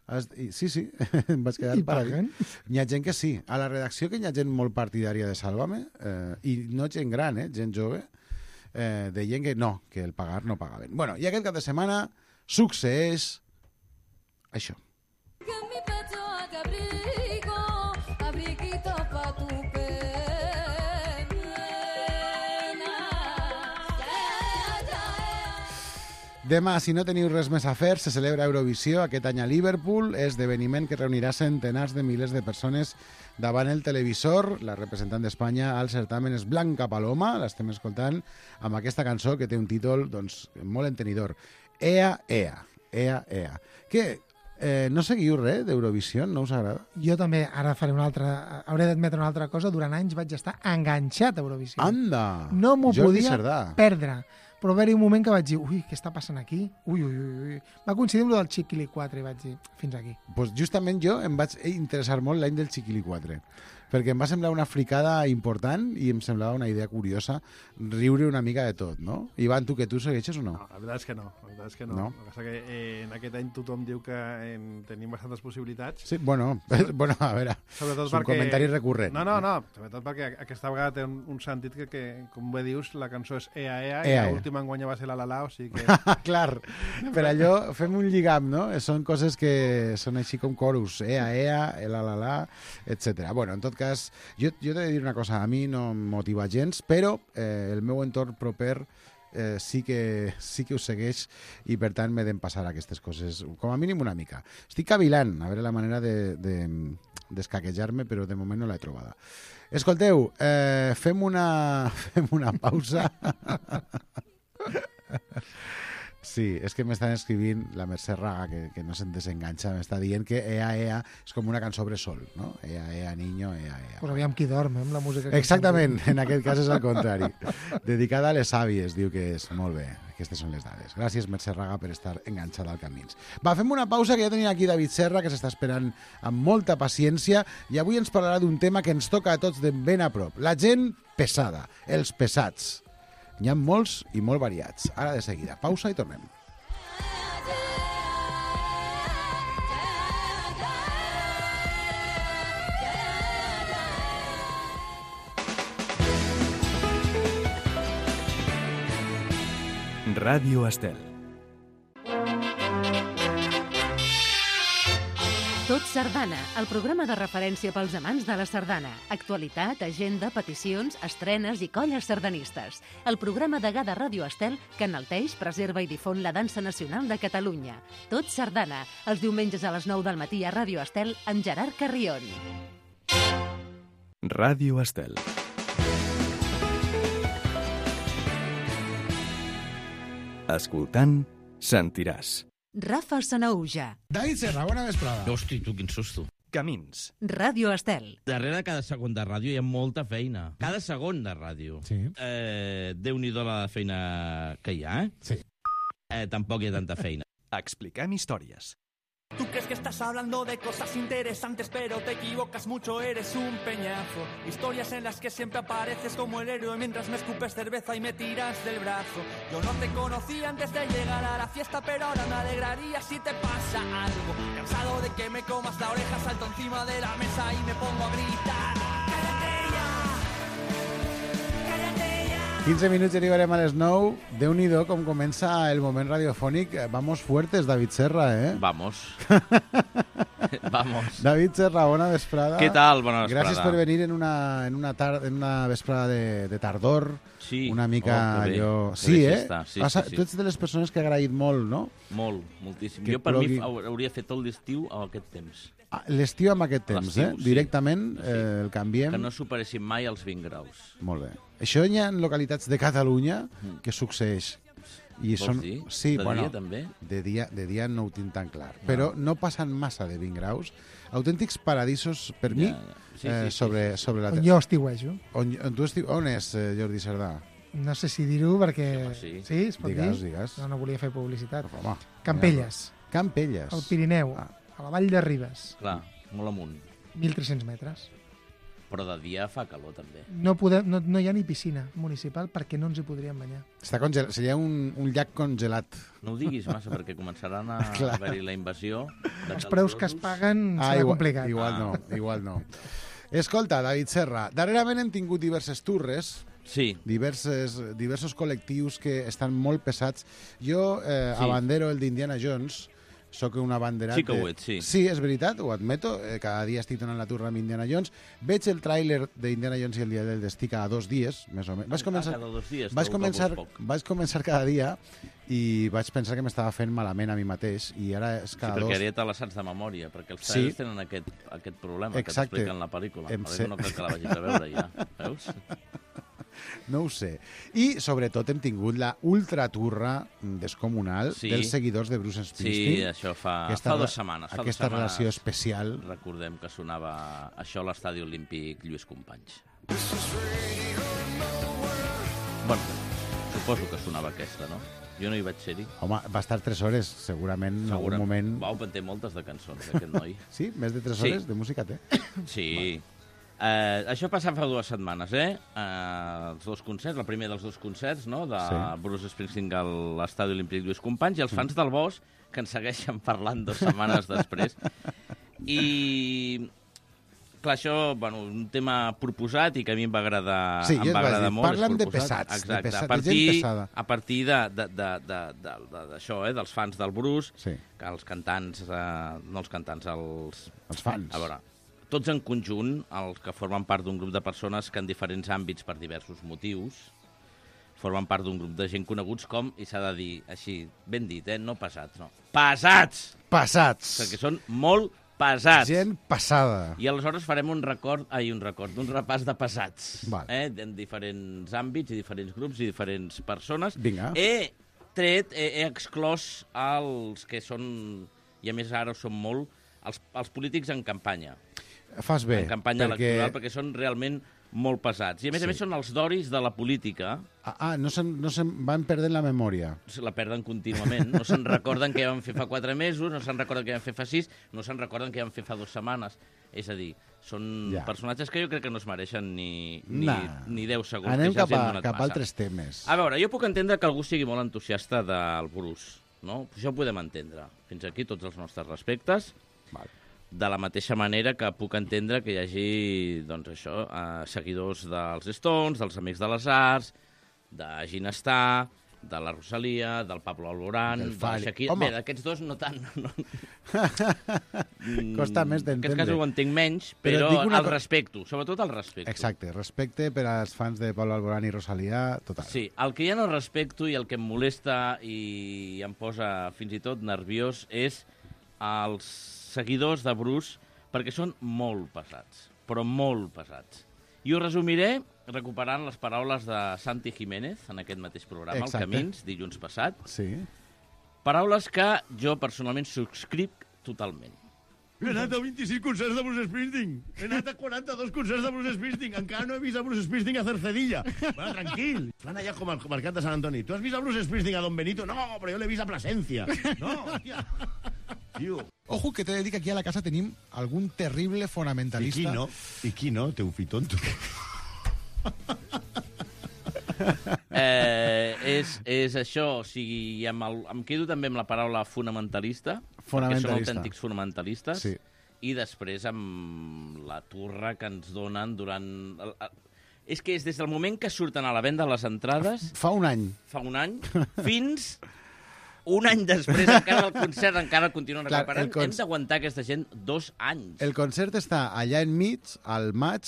Has... i- Sí, sí, em vaig quedar I paradit. paguen. Hi ha gent que sí. A la redacció que hi ha gent molt partidària de Sálvame, eh, i no gent gran, eh, gent jove, eh, deien que no, que el pagar no pagaven. Bueno, i aquest cap de setmana succeeix això. Que en mi pecho haga abrigo, abriguito pa' tu pena. Ya, ya, ya. Demà, si no teniu res més a fer, se celebra Eurovisió aquest any a Liverpool, esdeveniment que reunirà centenars de milers de persones davant el televisor. La representant d'Espanya al certamen és Blanca Paloma, l'estem escoltant amb aquesta cançó que té un títol doncs, molt entenidor. Ea, ea, ea, ea. Què? Eh, no seguiu res d'Eurovisió? No us agrada? Jo també, ara faré una altra... Hauré d'admetre una altra cosa. Durant anys vaig estar enganxat a Eurovisió. Anda! No m'ho Jordi podia Cerdà. perdre. Però va haver-hi un moment que vaig dir, ui, què està passant aquí? Ui, ui, ui, ui. Va coincidir amb el del Chiquili quatre i vaig dir, fins aquí. Pues justament jo em vaig interessar molt l'any del Chiquili quatre, perquè em va semblar una fricada important i em semblava una idea curiosa riure una mica de tot, no? Ivan, tu, que tu segueixes o no? No, la veritat és que no. La veritat és que no. No? El que passa que eh, en aquest any tothom diu que eh, tenim bastantes possibilitats. Sí, bueno, bueno, a veure, Sobretot és un perquè... comentari recurrent. No, no, no. Sobretot perquè aquesta vegada té un, un sentit que, que, com bé dius, la cançó és Ea, Ea, Ea, i Ea. l'última enguanya va ser la La La, o sigui que... Clar, per allò fem un lligam, no? Són coses que són així com chorus, ea, ea, la, la, la, etcètera. Bueno, en tot cas, jo, jo t'he de dir una cosa, a mi no em motiva gens, però eh, el meu entorn proper eh, sí, que, sí que us segueix i per tant m'he d'empassar aquestes coses, com a mínim una mica. Estic cavilant, a veure la manera de, de, d'escaquejar-me, però de moment no l'he trobada. Escolteu, eh, fem, una, fem una pausa. Sí, és que m'estan escrivint la Mercè Raga, que, que no se'n desenganxa, m'està dient que Ea Ea és com una cançó bressol, no? Ea Ea niño, Ea Ea. Pues aviam qui dorm, eh, amb la música. Que exactament, en aquest cas és al contrari. Dedicada a les àvies, diu que és. Molt bé, aquestes són les dades. Gràcies, Mercè Raga, per estar enganxada al Camins. Va, fem una pausa, que ja tenia aquí David Serra, que s'està esperant amb molta paciència, i avui ens parlarà d'un tema que ens toca a tots de ben a prop. La gent pesada, els pesats. N'hi ha molts i molt variats. Ara de seguida. Pausa i tornem. Ràdio Estel. Tot Sardana, el programa de referència pels amants de la sardana. Actualitat, agenda, peticions, estrenes i colles sardanistes. El programa degà de Ràdio Estel que enalteix, preserva i difon la dansa nacional de Catalunya. Tot Sardana, els diumenges a les nou del matí a Ràdio Estel amb Gerard Carrion. Ràdio Estel. Escoltant, sentiràs. Rafa Sanauja. David Serra, bona vesprada. Hosti, tu, quin susto. Camins. Ràdio Estel. Darrere de cada segon de ràdio hi ha molta feina. Cada segon de ràdio. Sí. Eh, Déu-n'hi-do la feina que hi ha, eh? Sí. Eh, tampoc hi ha tanta feina. Expliquem històries. Tú crees que estás hablando de cosas interesantes, pero te equivocas mucho, eres un peñazo. Historias en las que siempre apareces como el héroe mientras me escupes cerveza y me tiras del brazo. Yo no te conocía antes de llegar a la fiesta, pero ahora me alegraría si te pasa algo. Cansado de que me comas la oreja, salto encima de la mesa y me pongo a gritar. ¡Cállate ya! ¡Cállate ya! quinze minuts i arribarem a les nou. Déu-n'hi-do com comença el moment radiofònic. Vamos fuertes, David Serra, eh? Vamos. Vamos. David Serra, bona vesprada. Què tal? Bona vesprada. Gràcies per venir en una, en una, tar en una vesprada de, de tardor. Sí. Una mica oh, que bé. allò... Que Sí, bé eh? està. Sí, Passa... sí, sí. Tu ets de les persones que ha agraït molt, no? Molt, moltíssim. Que Jo per plogui... mi hauria fet tot l'estiu a aquest temps. Ah, l'estiu amb aquest temps, eh? Sí. Directament Sí. eh, el canviem. Que no superessin mai els vint graus. Molt bé. Això hi ha en localitats de Catalunya Mm. que succeeix. I Vols són... dir? Sí, De bueno, dia, també? De dia, de dia no ho tinc tan clar. No. Però no passen massa de vint graus. Autèntics paradisos, per Ja, mi, ja. Sí, eh, sí, sí, sobre, sí. sobre la On terra. jo estiuejo. On, on, tu estiu... on és, eh, Jordi Cerdà? No sé si dir-ho perquè... Sí, home, sí. sí, es pot Digues, dir? digues. No, no volia fer publicitat. Home, Campelles, Campelles. al Pirineu, Ah. a la Vall de Ribes, Clar, molt amunt. mil tres-cents metres. Però de dia fa calor, també. No, podem, no, no hi ha ni piscina municipal perquè no ens hi podríem banyar. Està congelat. Seria un, un llac congelat. No ho diguis massa, perquè començaran a Clar. haver-hi la invasió. De Els preus que es paguen Ah, serà igual, complicat. igual Ah. no, igual no. Escolta, David Serra, darrerament hem tingut diverses turres, Sí, diverses, diversos col·lectius que estan molt pesats. Jo eh, Sí. abandero el d'Indiana Jones, sóc un abanderat... Sí que ho de- ets, sí. Sí, és veritat, ho admeto. Eh, cada dia estic donant la turra amb Indiana Jones. Veig el tràiler d'Indiana Jones i el dia del destí cada dos dies, més o menys. Vaig començar, cada dos dies. vaig trobo que començar, vols poc. vaig començar cada dia i vaig pensar que m'estava fent malament a mi mateix i ara és Sí, cada perquè dos... ara te la saps de memòria, perquè els Sí. trailers tenen aquest, aquest problema Exacte. que t'expliquen la pel·lícula. Em Per sé. això no crec que la vagis a veure ja, veus? No ho sé. I, sobretot, hem tingut la ultraturra descomunal Sí. dels seguidors de Bruce Sí, Springsteen. això fa, Aquesta fa re- dues setmanes. Fa Aquesta dues setmanes relació especial. Recordem que sonava això a l'estadi olímpic Lluís Companys. Bueno, suposo que sonava aquesta, no? Jo no hi vaig ser-hi. Home, va estar tres hores, segurament, en algun Segurament. moment... Vau, en té moltes de cançons, aquest noi. Sí? Més de tres Sí. hores de música té? Sí. Uh, això passava fa dues setmanes, eh? Uh, els dos concerts, el primer dels dos concerts, no?, de Sí. Bruce Springsteen a l'Estadi Olímpic Lluís Companys, i els fans del Bosch, que ens segueixen parlant dues setmanes després. I... Clar, això, bueno, un tema proposat i que a mi em va agradar, Sí, em ja et va vaig agradar dir, molt. parlen és de proposat. pesats, de Exacte. pesat- a de gent partir, pesada. a partir de, de, de, de, de, de, d'això, eh, dels fans del Bruce, Sí. que els cantants, eh, no els cantants, els... Els fans. A veure, tots en conjunt, els que formen part d'un grup de persones que en diferents àmbits, per diversos motius, formen part d'un grup de gent coneguts com, i s'ha de dir així, ben dit, eh? No pesats, no. Pesats! Passats. Perquè són molt pesats. Gent passada. I aleshores farem un record, ai, un record, un repàs de pesats. Val. Eh? En diferents àmbits, i diferents grups, i diferents persones. Vinga. He tret, he, he exclòs els que són, i a més ara són molt, els, els polítics en campanya. Fas bé. En campanya perquè... electoral, perquè són realment molt pesats. I a més Sí. a més són els doris de la política. Ah, ah no se'n no se van perdent la memòria. Se la perden contínuament. No se'n recorden què van fer fa quatre mesos, no se'n recorden què van fer fa sis, no se'n recorden què van fer fa dues setmanes. És a dir, són Ja. personatges que jo crec que no es mereixen ni, ni, Nah. ni deu segons. Anem que ja cap, els hi han a, donat cap a massa. altres temes. A veure, jo puc entendre que algú sigui molt entusiasta del Bruce, no? Això ho podem entendre. Fins aquí tots els nostres respectes. Val. De la mateixa manera que puc entendre que hi hagi, doncs això, eh, seguidors dels Stones, dels Amics de les Arts, de Ginestar, de la Rosalia, del Pablo Alborán, Del de la Fari. Shakira... Home. Bé, d'aquests dos no tant. No. Costa més En aquest d'entendre. cas ho entenc menys, Però però, dic una el co- respecto, sobretot el respecto. Exacte, respecte per als fans de Pablo Alborán i Rosalía, total. Sí, el que ja no respecto i el que em molesta i em posa fins i tot nerviós és els seguidors de Bruce, perquè són molt pesats, però molt pesats. I ho resumiré recuperant les paraules de Santi Jiménez en aquest mateix programa, Exacte. el Camins, dilluns passat. Sí. Paraules que jo personalment subscric totalment. He anat a vint-i-sis concerts de Bruce Springsteen. He anat a quaranta-dos concerts de Bruce Springsteen. Encara no he vist a Bruce Springsteen a Cercedilla. Bueno, tranquil. Van allà com al mercat de Sant Antoni. Tu has vist a Bruce Springsteen a Don Benito? No, però jo l'he vist a Plasencia. No, hòstia. Tio. Ojo, que t'he de dir que aquí a la casa tenim algun terrible I fonamentalista. qui no? I qui no? Té un fitonto. Eh, és, és això, o sigui, amb el, em quedo també amb la paraula fonamentalista, perquè són Fonamentalista. autèntics fonamentalistes, Sí. i després amb la turra que ens donen durant... El, el, és que és des del moment que surten a la venda les entrades, Fa un any. fa un any, fins un any després, encara el concert encara continuen Clar, recuperant. el conc- Hem d'aguantar aquesta gent dos anys. El concert està allà enmig, al maig,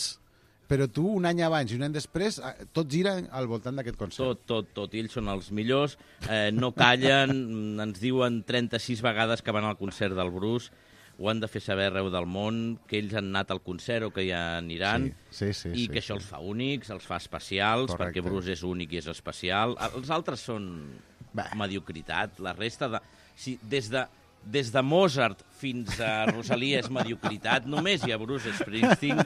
però tu un any abans i un any després, eh, tot gira al voltant d'aquest concert. Tot, tot, tot. I ells són els millors, eh, no callen, ens diuen trenta-sis vegades que van al concert del Bruce, ho han de fer saber arreu del món, que ells han anat al concert o que hi aniran, Sí, sí, sí. i sí, que això sí. els fa únics, els fa especials, Correcte. perquè Bruce és únic i és especial. Els altres són Bé. mediocritat. La resta de... Si, des de des de Mozart fins a Rosalia és mediocritat, només hi ha Bruce Springsteen.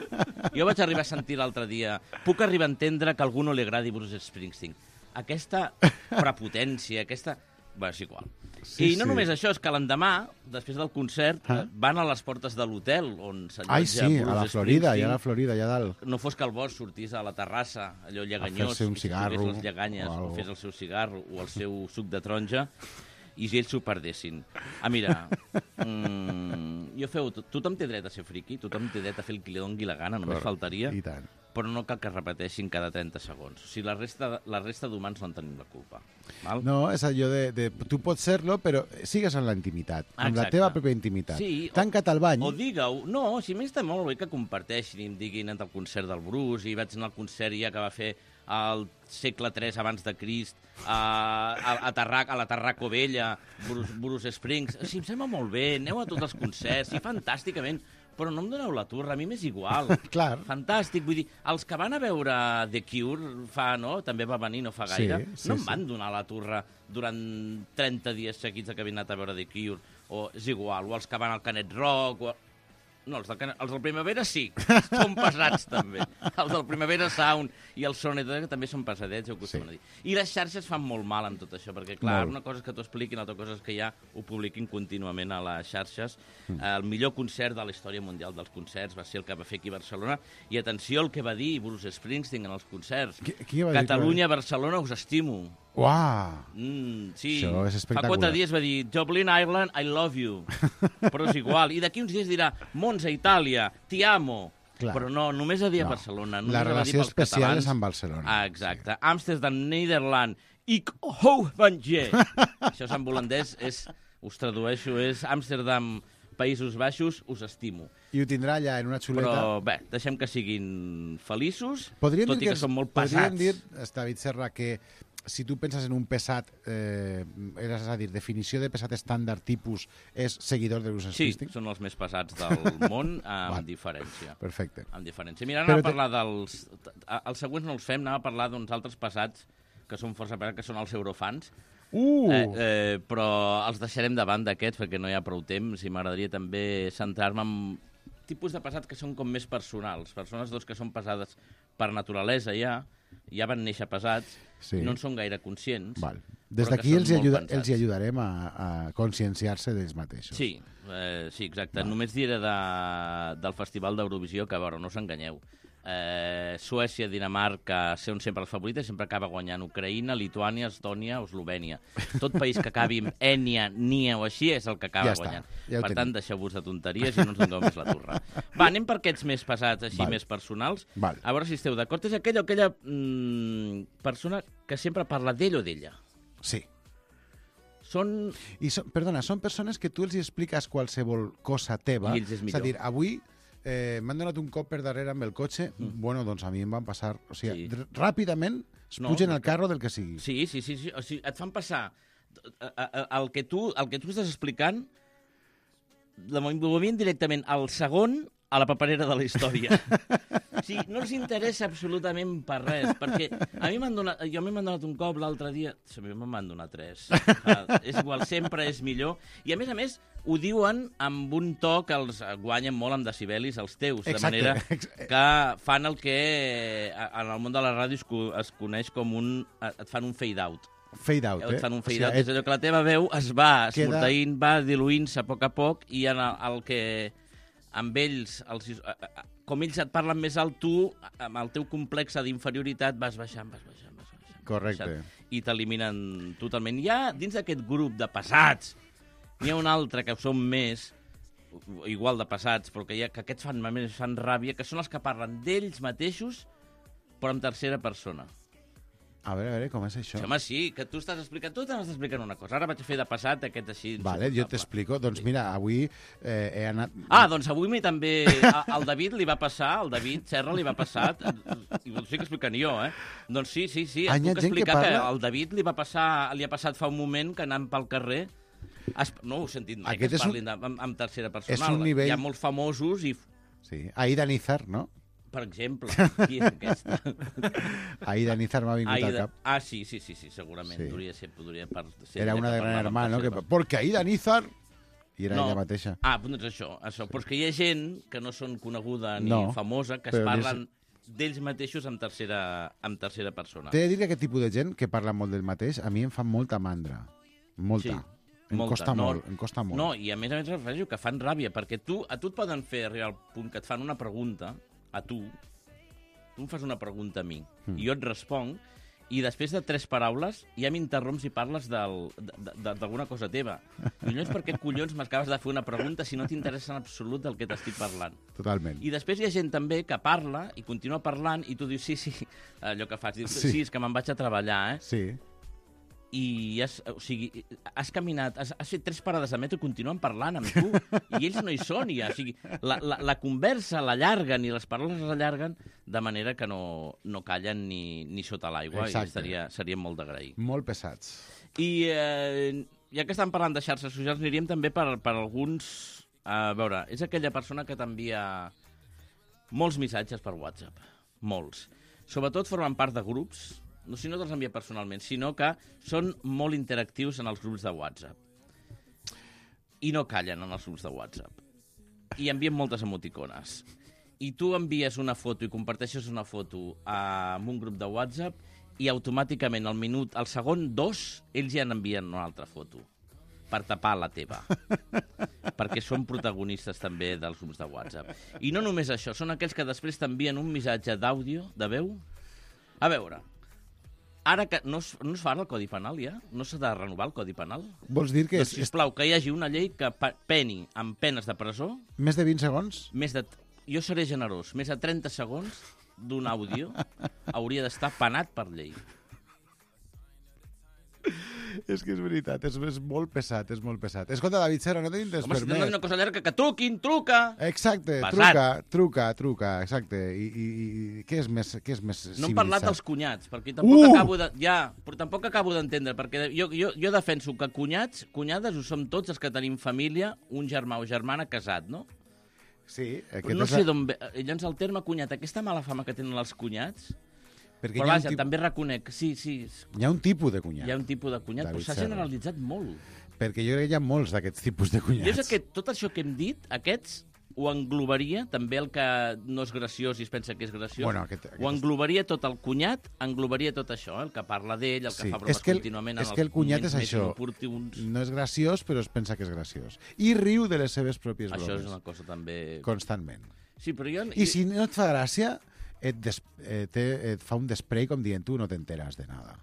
Jo vaig arribar a sentir l'altre dia, puc arribar a entendre que a algú no li agradi Bruce Springsteen. Aquesta prepotència, aquesta... Bé, és igual. Sí, I no sí. només això, és que l'endemà, després del concert, Ah. van a les portes de l'hotel on s'allotja Ai, sí, Bruce a la Florida, Springsteen. ja a la Florida, allà dalt. No fos que el Bosch sortís a la terrassa, allò lleganyós, fer-se un i si cigarro trobés les lleganyes, o o, algo. fes el seu cigarro, o el seu suc de taronja, i si ells s'ho perdessin. Ah, mira, mm, jo feu... Tothom té dret a ser friqui, tothom té dret a fer el que li doni la gana, només Correcte. faltaria, I tant. però no cal que es repeteixin cada trenta segons. O sigui, la resta, la resta d'humans no en tenim la culpa. Val? No, és allò de, de... Tu pots ser-lo, però sigues en la intimitat, amb la Exacte. teva pròpia intimitat. Sí, o- Tanca't al bany. O digue-ho. No, si més està molt bé que comparteixin i em diguin anat al concert del Bruce i vaig anar al concert ja que va fer al segle tres abans de Crist a, a, a, Tarrac, a la Tarraco Vella, Bruce, Bruce Springs. Sí, em sembla molt bé, aneu a tots els concerts, sí, fantàsticament, però no em doneu la turra, a mi m'és igual. Clar. Fantàstic, vull dir, els que van a veure The Cure fa, no?, també va venir no fa Sí, gaire, sí, no em sí. van donar la turra durant trenta dies seguits que havien anat a veure The Cure, o és igual, o els que van al Canet Rock, o... No, els del, Canet... els del Primavera sí, són pesats també. Els del Primavera Sound i el Sonet també són pesadets, ja ho acostumen Sí. a dir. I les xarxes fan molt mal amb tot això, perquè clar, Molt. una cosa és que t'ho expliquin, altra cosa és que ja ho publiquin contínuament a les xarxes. Mm. El millor concert de la història mundial dels concerts va ser el que va fer aquí a Barcelona, i atenció al que va dir Bruce Springsteen en els concerts. Qui- qui va dir que va Catalunya, Barcelona, us estimo. Uau! Mm, sí, Això és fa espectacular. quatre dies va dir Dublin, Ireland, I love you. Però és igual. I d'aquí uns dies dirà Monza, Itàlia, ti amo. Clar. Però no, només a dir a No. Barcelona. La Només a dir relació pels especial catalans. és amb Barcelona. Ah, exacte. Sí. Amsterdam, Nederland, ik hou van je. Això és en holandès, és, us tradueixo, és Amsterdam, Països Baixos, us estimo. I ho tindrà allà en una xuleta. Però bé, deixem que siguin feliços, Podríem tot dir i que, són molt podríem pesats. dir, David Serra, que si tu penses en un pesat, eh, és a dir, definició de pesat estàndard tipus és seguidor de Bruce Sí, Springsteen? són els més pesats del món, amb Val. diferència. Perfecte. Amb diferència. Mira, Però anem a te- parlar dels... Els següents no els fem, anem a parlar d'uns altres passats que són força pesats, que són els eurofans. Uh! Eh, eh, però els deixarem davant d'aquests perquè no hi ha prou temps i m'agradaria també centrar-me en tipus de passats que són com més personals. Persones doncs, que són pesades per naturalesa ja, ja van néixer pesats, Sí. i no en són gaire conscients. Val. Des però que d'aquí són els, hi molt ajuda, pensats. els hi ajudarem a, a conscienciar-se d'ells mateixos. Sí, eh, sí, exacte. Només diré de, del Festival d'Eurovisió que, a veure, no us enganyeu. Eh, Suècia, Dinamarca, són sempre els favorites, sempre acaba guanyant Ucraïna, Lituània, Estònia o Eslovènia. Tot país que acabi amb Ènia, Nia o així és el que acaba Ja està, guanyant. ja ho per tenim. tant, deixeu-vos de tonteries i no ens dongueu més la turra. Va, anem per aquests més pesats, així, Val. més personals. Val. A veure si esteu d'acord. És aquella o aquella mm, persona que sempre parla d'ell o d'ella. Sí. Són... I són, perdona, són persones que tu els hi expliques qualsevol cosa teva. I ells és És a millor. dir, avui eh, m'han donat un cop per darrere amb el cotxe, mm. bueno, doncs a mi em van passar... O sigui, Sí. sí. ràpidament es No, pugen no, al carro del que sigui. Sí, sí, sí, sí. O sigui, et fan passar a- a- a- el que tu, el que tu estàs explicant, la moviment directament al segon a la paperera de la història. O sigui, no els interessa absolutament per res, perquè a mi m'han donat, jo a mi m'han donat un cop l'altre dia, a mi me'n van donar tres. Ah, és igual, sempre és millor. I a més a més, ho diuen amb un to que els guanyen molt amb decibelis, els teus, de Exacte. manera que fan el que a- en el món de la ràdio es, co- es coneix com un... et fan un fade-out. Fade out, eh? Et fan un O sigui, fade-out, és allò que la teva veu es va Queda- esmorteint, va diluint-se a poc a poc, i en el, el que amb ells, els, com ells et parlen més alt, tu, amb el teu complex d'inferioritat, vas baixant, vas baixant, vas baixant. vas Correcte. baixant, I t'eliminen totalment. Hi ha, dins d'aquest grup de passats, n'hi ha un altre que són més, igual de passats, però que, hi ha, que aquests fan, més fan ràbia, que són els que parlen d'ells mateixos, però en tercera persona. A veure, a veure, com és això? Sí, home, sí, que tu estàs explicant, tu t'estàs explicant una cosa. Ara vaig fer de passat aquest així Vale, jo insuportable. t'explico. Doncs mira, avui eh, he anat... Ah, doncs avui mi també... a- Al David li va passar, al David Serra li va passar, i ho estic explicant jo, eh? Doncs sí, sí, sí, Ah, et hi ha puc gent que explicar que, parla? al David li va passar, li ha passat fa un moment que anant pel carrer... Es, no ho he sentit mai, Aquest que es és un- parlin de, amb, amb tercera és personal. un nivell- Hi ha molts famosos i, Sí, Aida Nizar, no? per exemple, qui és aquesta? Aida Nizar m'ha vingut al Aida... cap. Ah, sí, sí, sí, sí segurament. Sí. Podria ser, podria per, ser Era ella una que de Gran parlava amb Hermano, que... tercera persona. Porque Aida Nizar... I era No. ella mateixa. Ah, doncs això, això. Però és que hi ha gent que no són coneguda ni No, famosa, que es però parlen d'ells mateixos en tercera, en tercera persona. T'he de dir que aquest tipus de gent que parla molt del mateix a mi em fa molta mandra. Molta. Sí, em molta. costa No, molt, em costa molt. No, i a més a més refereixo que fan ràbia, perquè tu, a tu et poden fer arribar al punt que et fan una pregunta, a tu, tu em fas una pregunta a mi, Mm. i jo et responc, i després de tres paraules ja m'interromps i parles del- de- de- d'alguna cosa teva. Collons, per què collons m'acabes de fer una pregunta si no t'interessa en absolut del que t'estic parlant? Totalment. I després hi ha gent també que parla i continua parlant i tu dius, sí, sí, allò que fas, dius, Sí. sí, és que me'n vaig a treballar, eh? Sí. I has, o sigui, has caminat, has, has fet tres parades de metro i continuen parlant amb tu, i ells no hi són ja. O sigui, la, la, la conversa l'allarguen i les paraules l'allarguen de manera que no, no callen ni, ni sota l'aigua, i Exacte. estaria, seria molt d'agrair. Molt pesats. I eh, ja que estan parlant de xarxes socials, aniríem també per, per alguns... A veure, és aquella persona que t'envia molts missatges per WhatsApp. Molts. Sobretot formen part de grups, no si no te'ls envia personalment, sinó que són molt interactius en els grups de WhatsApp. I no callen en els grups de WhatsApp. I envien moltes emoticones. I tu envies una foto i comparteixes una foto amb un grup de WhatsApp i automàticament al minut, al segon dos, ells ja n'envien una altra foto per tapar la teva. Perquè són protagonistes també dels grups de WhatsApp. I no només això, són aquells que després t'envien un missatge d'àudio, de veu. A veure, ara que no es, no es fa el Codi Penal ja? No s'ha de renovar el Codi Penal? Vols dir que Doncs, és, és sisplau, que hi hagi una llei que pe- peni amb penes de presó més de vint segons? més de... Jo seré generós. Més de trenta segons d'un àudio hauria d'estar penat per llei. És que és veritat, és, és molt pesat, és molt pesat. Escolta, David Serra, no tenim temps Home, per si més. tens una cosa llarga, que truquin, truca! Exacte, Pesat. truca, truca, truca, exacte. I, i, i què és més, què és més No hem parlat civilitzat? dels cunyats, perquè tampoc Uh! acabo de... Ja, però tampoc acabo d'entendre, perquè jo, jo, jo defenso que cunyats, cunyades ho som tots els que tenim família, un germà o germana casat, no? Sí. Però no sé d'on ve... Llavors el terme cunyat, aquesta mala fama que tenen els cunyats... Perquè Però hi ha vaja, un tip- també reconec, sí, sí, Hi ha un tipus de cunyat. hi ha un tipus de cunyat, David però s'ha Serra. generalitzat molt. Perquè jo crec que hi ha molts d'aquests tipus de Jo cunyats. és que tot això que hem dit, aquests, ho englobaria, també el que no és graciós i es pensa que és graciós, Bueno, aquest- aquest- ho englobaria tot el cunyat, englobaria tot això, eh? El que parla d'ell, el que Sí, fa bromes és que el- contínuament és en que el els cunyat moments és més això. inoportuns. No és graciós, però es pensa que és graciós. I riu de les seves pròpies Això bromes. és una cosa també... Constantment. Sí, però jo... I si no et fa gràcia, et, des, eh, te, et fa un desprei com dient tu no t'enteres de nada.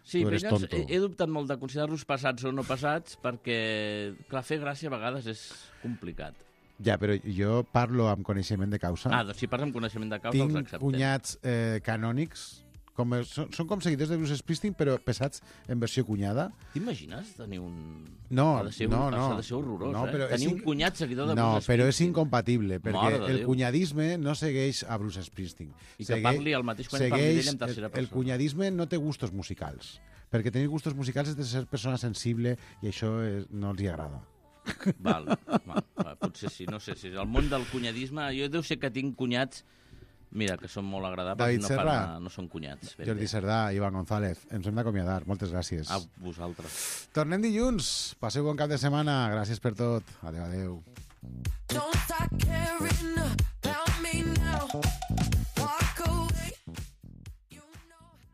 Sí, tu però eres llavors tonto. he, he dubtat molt de considerar-los passats o no passats perquè, clar, fer gràcia a vegades és complicat. Ja, però jo parlo amb coneixement de causa. Ah, doncs si parles amb coneixement de causa els Tinc acceptem. cunyats eh, canònics, com, són, són com seguidors de Bruce Springsteen, però pesats en versió cunyada. T'imagines tenir un... No, ha de ser, no, un... no. Ha de ser horrorós, No, però eh? Tenir és un inc- cunyat seguidor de No, Bruce però és Springsteen. incompatible, perquè Mare de el Déu. cunyadisme no segueix a Bruce Springsteen. I que parli el mateix quan parli d'ell en tercera el, el persona. cunyadisme no té gustos musicals, perquè tenir gustos musicals és de ser persona sensible i això és, no els hi agrada. Val, val, val, potser sí, no sé si el món del cunyadisme, jo deu ser que tinc cunyats, mira, que són molt agradables David i no, Serra, fan, no són cunyats. Ben Jordi bé. Cerdà, Ivan González, ens hem d'acomiadar. Moltes gràcies. A vosaltres. Tornem dilluns. Passeu bon cap de setmana. Gràcies per tot. Adéu, adéu. Don't